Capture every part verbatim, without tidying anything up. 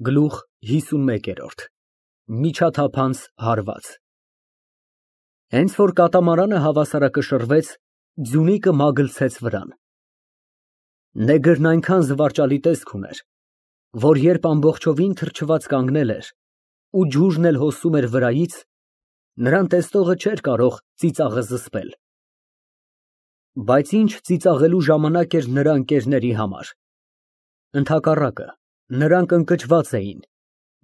Գլուխ հիսունմեկ, Միջաթափանց հարված Հենց որ կատամարանը հավասարակշռվեց, ձյունիկը մագլցեց վրան։ Նեգրն այնքան զվարճալի տեսք ուներ, որ երբ ամբողջովին թրջված կանգնել էր ու ջուրն էլ հոսում էր վրայից, նրան տեսնողը չէր կարող ծիծաղը զսպել։ Բայց ինչ ծիծաղելու ժամանակ էր նրա ընկերների համար։ Ընդհակառակը, նրանք ընկճված էին,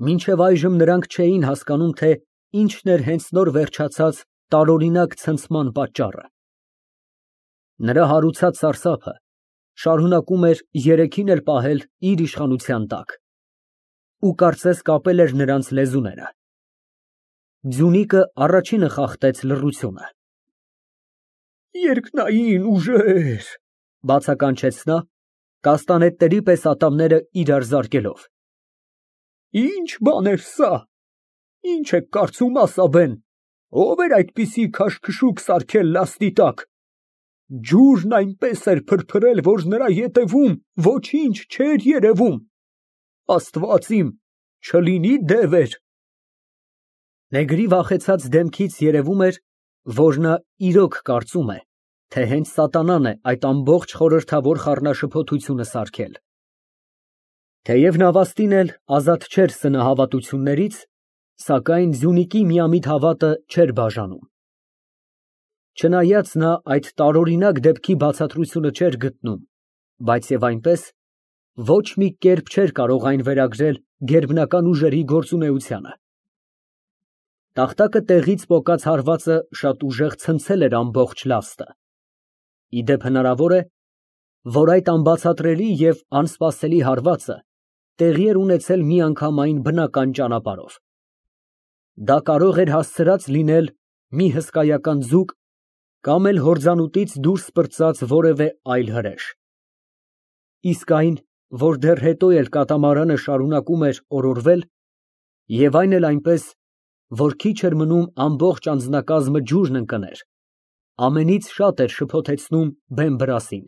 մինչև այժմ նրանք չէին հասկանում, թե ինչն էր հենց նոր վերջացած տարօրինակ ցնցման պատճառը։ Նրա հարուցած սարսափը շարունակում էր երեքին էլ պահել իր իշխանության տակ ու կարծես կապել էր նրանց լեզուները։ Ձյունիկը առաջինը խախտեց լռությունը։ Երկնային ուժեր, բացականչեց նա, կաստանետների պես ատամները իրար զարկելով։ Ինչ բան էր սա, ինչ եք կարծում, ասաբեն, ով էր այդպիսի քաշքշուկ սարքել լաստի տակ։ Ջուրն այնպես էր փրփրել, որ նրա ետևում ոչինչ չէր երևում։ Աստված իմ, չլինի դևեր։ Նեգրի վախեցած դեմքից երևում էր, որ նա իրոք կարծում է, թե հենց սատանան է այդ ամբողջ խորհրդավոր խառնաշփոթությունը սարքել։ Թեև նավաստին էլ ազատ չէր սնահավատություններից, սակայն ձյունիկի միամիտ հավատը չէր բաժանում։ Չնայած նա այդ տարօրինակ դեպքի բացատրությունը չէր գտնում, բայց և այնպես, ոչ մի կերպ չէր կարող այն վերագրել գերբնական ուժերի գործունեությանը։ Տախտակը տեղից պոկած հարվածը շատ ուժեղ ցնցել էր ամբողջ լաստը։ Ի դեպ հնարավոր է, որ այդ անբացատրելի և անսպասելի հարվածը տեղի էր ունեցել միանգամայն բնական ճանապարհով։ Դա կարող էր հասցրած լինել մի հսկայական ձուկ կամ էլ հորձանուտից դուրս պրծած որևէ այլ հրեշ։ Իսկ այն, որ դեռ հետո էլ կատամարանը շարունակում էր օրորվել, և այն էլ այնպես, որ քիչ էր մնում ամբողջ անձնակազմը ջուրն ընկներ, ամենից շատ էր շփոթեցնում բեն֊բրասին։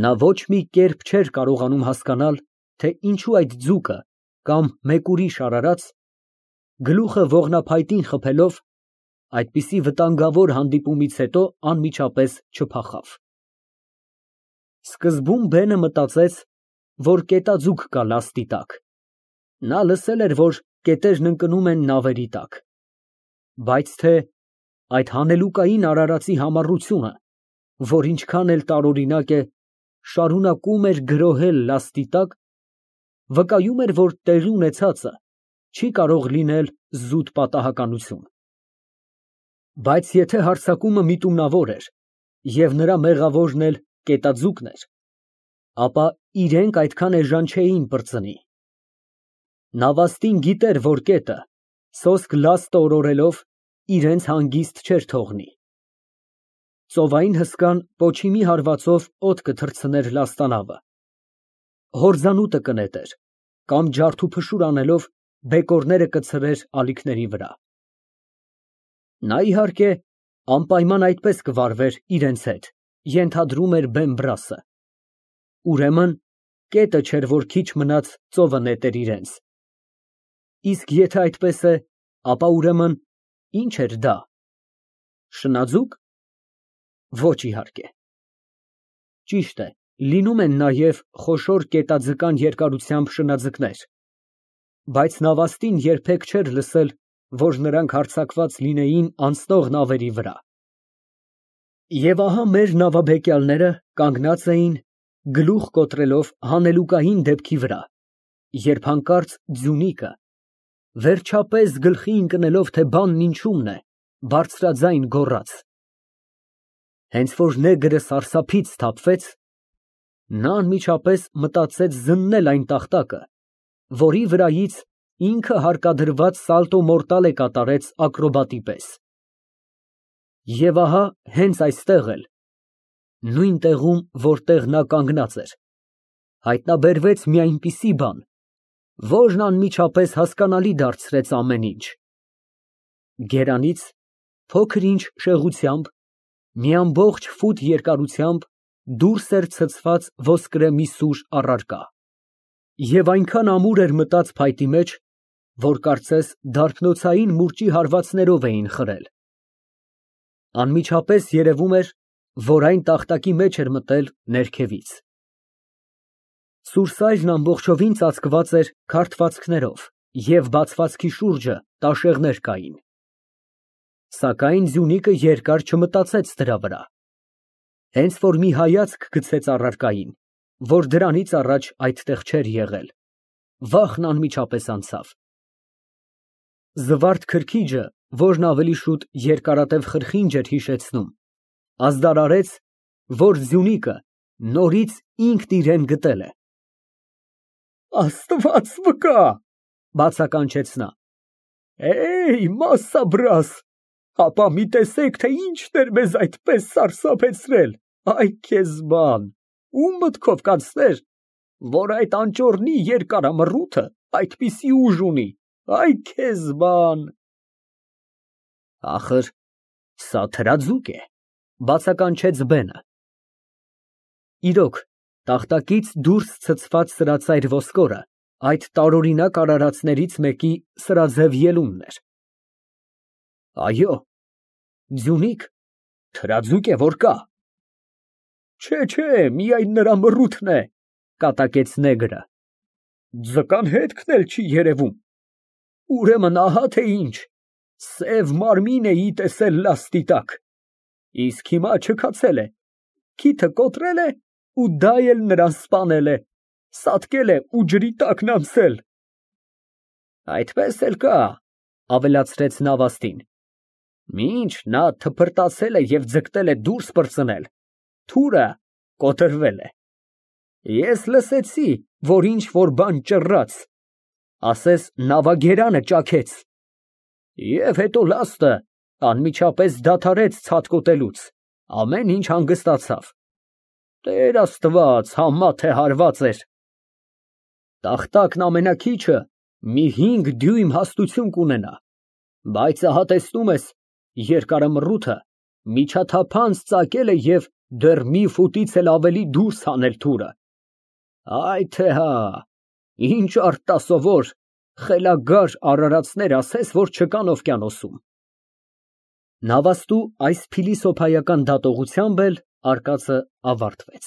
Նա ոչ մի կերպ չէր կարողանում հասկանալ, թե ինչու այդ ձուկը կամ մեկ ուրիշ արարած, գլուխը ողնափայտին խփելով, այդպիսի վտանգավոր հանդիպումից հետո անմիջապես չփախավ։ Սկզբում բենը մտածեց, որ կետաձուկ կա լաստի տակ։ Նա լսել էր, որ կետերն ընկնում են նավերի տակ։ Բայց թե այդ հանելուկային արարածի համառությունը, որ ինչքան էլ տարօրինակ է, շարունակում էր գրոհել լաստի տակ, վկայում էր, որ տեղի ունեցածը չի կարող լինել զուտ պատահականություն։ Բայց եթե հարձակումը միտումնավոր էր, և նրա մեղավորն էլ կետաձուկն էր, ապա իրենք այդքան էժան չէին պրծնի։ Նավաստին գիտեր, որ կետը, սոսկ լաստը օրորելով, իրենց հանգիստ չէր թողնի։ Ծովային հսկան պոչի մի հարվածով օդ կթռցներ լաստանավը, հորձանուտը կնետեր, կամ ջարդուփշուր անելով բեկորները կցրեր ալիքների վրա։ Նա, իհարկե, անպայման այդպես կվարվեր իրենց հետ, ենթադրում էր բեն֊բրասը։ Ուրեմն, կետը չէր, որ քիչ մնաց ծովը նետեր իրենց։ Իսկ եթե այդպես է, ապա ուրեմն ի՞նչ էր դա, շնաձու՞կ։ Ոչ, իհարկե։ Ճիշտ է, լինում են նաև խոշոր կետաձկան երկարությամբ շնաձկներ, բայց նավաստին երբեք չէր լսել, որ նրանք հարձակված լինեին անցնող նավերի վրա։ Եվ ահա մեր նավաբեկյալները կանգնած էին, գլուխ կոտրելով հանելուկային դեպքի վրա, երբ հանկարծ ձյունիկը, վերջապես գլխի ընկնելով, թե բանն ինչումն է, բարձրաձայն գոռաց։ Հենց որ նեգրը սարսափից սթափվեց, նա անմիջապես մտածեց զննել այն տախտակը, որի վրայից ինքը հարկադրված սալտո մորտալե կատարեց ակրոբատի պես։ Եվ ահա հենց այստեղ էլ, նույն տեղում, որտեղ նա կանգնած էր, հայտնաբերվեց մի այնպիսի բան, որն անմիջապես հասկանալի դարձրեց ամեն ինչ։ Գերանից փոքր-ինչ շեղությամբ, մի ամբողջ ֆուտ երկարությամբ դուրս էր ցցված ոսկրե մի սուր առարկա։ և այնքան ամուր էր մտած փայտի մեջ, որ կարծես դարբնոցային մուրճի հարվածներով էին խրել։ Անմիջապես երևում էր, որ այն տախտակի մեջ էր մտել ներքևից։ Սուրսայրն ամբողջովին ծածկված էր քարտվածքներով և բացվածքի շուրջը տաշեղներ կային։ Սակայն ձյունիկը երկար չմտածեց դրա վրա, հենց որ մի հայացք գցեց առարկային, որ դրանից առաջ այդտեղ չէր եղել, վախն անմիջապես անցավ։ Զվարթ քրքիջը, որն ավելի շուտ երկարատև խրխինջ էր հիշեցնում, ազդարարեց, որ ձյունիկը նորից ինքն իրան գտել է։ «Աստված վկա», բացականչեց նա, «Էյ, մասսաբրաս, ապա մի տեսեք, թե ի՞նչն էր մեզ այդպես սարսափեցրել, այ քեզ բան, ո՞ւմ մտքով կանցներ, որ այդ անճոռնի երկարամռութը այդպիսի ուժ ունի, այ քեզ բան»։ Ախր սա թրաձուկ է, բացականչեց բենը։ Իրոք, տախտակից դուրս ցցված սրածայր ոսկորը այդ տարօրինակ արարածներից մեկի սրաձև ելունն էր։ Այո, ձյունիկ, թրաձուկ է, որ կա։ Չէ, չէ, միայն նրա մռութն է, կատակեց նեգրը, ձկան հետքն էլ չի երևում։ Ուրեմն ահա թե ինչ, սև մարմին էի տեսել լաստի տակ, իսկ հիմա չքացել է, քիթը կոտրել է ու դա էլ նրան սպանել է, սատկել է ու ջրի տակն անցել։ Այդպես էլ կա, ավելացրեց նավաստին, մինչ նա թփրտացել է և ձգտել է դուրս պրծնել, թուրը կոտրվել է։ Ես լսեցի, որ ինչ֊որ բան ճռռաց, ասես նավագերանը ճաքեց, և հետո լաստը անմիջապես դադարեց ցատկոտելուց, ամեն ինչ հանգստացավ։ Տեր Աստված, համա թե հարված էր։ Տախտակն ամենաքիչը մի հինգ դյույմ հաստություն կունենա, բայց ահա տեսնում ես, երկարամռութը միջաթափանց ծակել է և դեռ մի ֆուտից էլ ավելի դուրս հանել թուրը։ Այ թե հա, ինչ արտասովոր, խելագար արարածներ ասես, որ չկան օվկիանոսում։ Նավաստու այս փիլիսոփայական դատողությամբ էլ արկածը ավարտվեց։